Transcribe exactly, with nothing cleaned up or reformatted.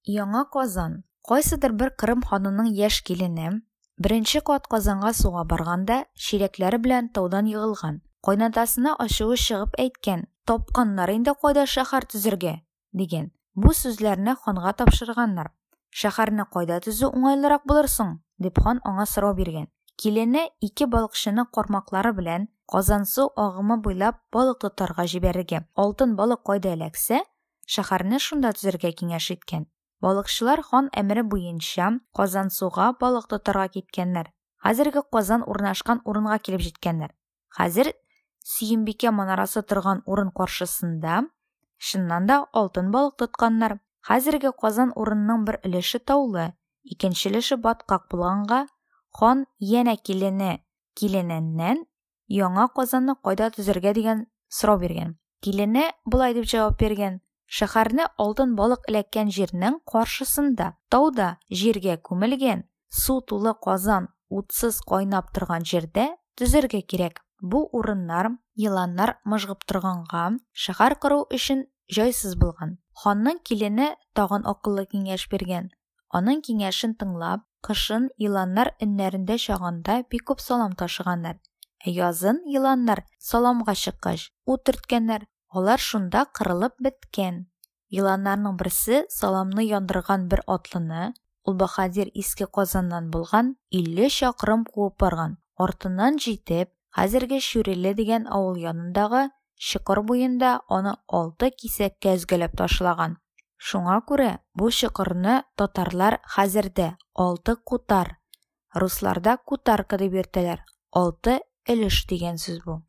Яңа Казан. Кайсыдыр бер Кырым ханының яшь килене беренче кат Казанга суга барганда чиләкләре белән таудан егылган. Кайнатасына ачуы чыгып әйткән: "Тапканнар инде кайда шәһәр төзергә", дигән. Бу сүзләрне ханга тапшырганнар. Шәһәрне кайда төзү уңайлырак булыр соң? Дип хан аңа сорау биргән. Килене ике балыкчыны кармаклары белән Казансу агымы буйлап балык тотарга җибәрергә. Алтын балык кайда эләксә, шәһәрне шунда төзергә киңәш иткән. Балыкчылар хан әмере буенча Казансуга балык тотарга киткәннәр. Хәзерге Казан урнашкан урынга килеп җиткәннәр. Хәзер Сөембикә манарасы торган урын каршысында чыннан да алтын балык тотканнар. Хәзерге Казан урынының бер өлеше таулы, икенче өлеше баткак булганга, хан янә килене килененнән яңа Казанны кайда төзергә дигән сорау биргән. Килене болай дип җавап биргән: Шәһәрне алтын балык эләккән җирнең каршысында, тауда җиргә күмелгән, су тулы казан утсыз кайнап торган җирдә төзергә кирәк. Бу урыннар еланнар мыжгып торганга, шәһәр кору өчен җайсыз булган. Ханның килене тагын акыллы киңәш биргән. Аның киңәшен тыңлап, кышын еланнар өннәрендә чагында бик күп салам ташыганнар. Ә язын еланнар саламга чыккач, ут төрткәннәр. Алар шунда кырылып беткән. Еланнарның берсе саламны яндырган бер атлыны, ул баһадир Иске Казаннан булган, илле чакрым куып барган. Артыннан җитеп, хәзерге Шүреле дигән авыл янындагы чокыр буенда аны алты кисәккә өзгәләп ташлаган. Шуңа күрә бу чокырны татарлар хәзердә алты кутар, русларда кутарка дип йөртәләр. Алты өлеш дигән сүз бу.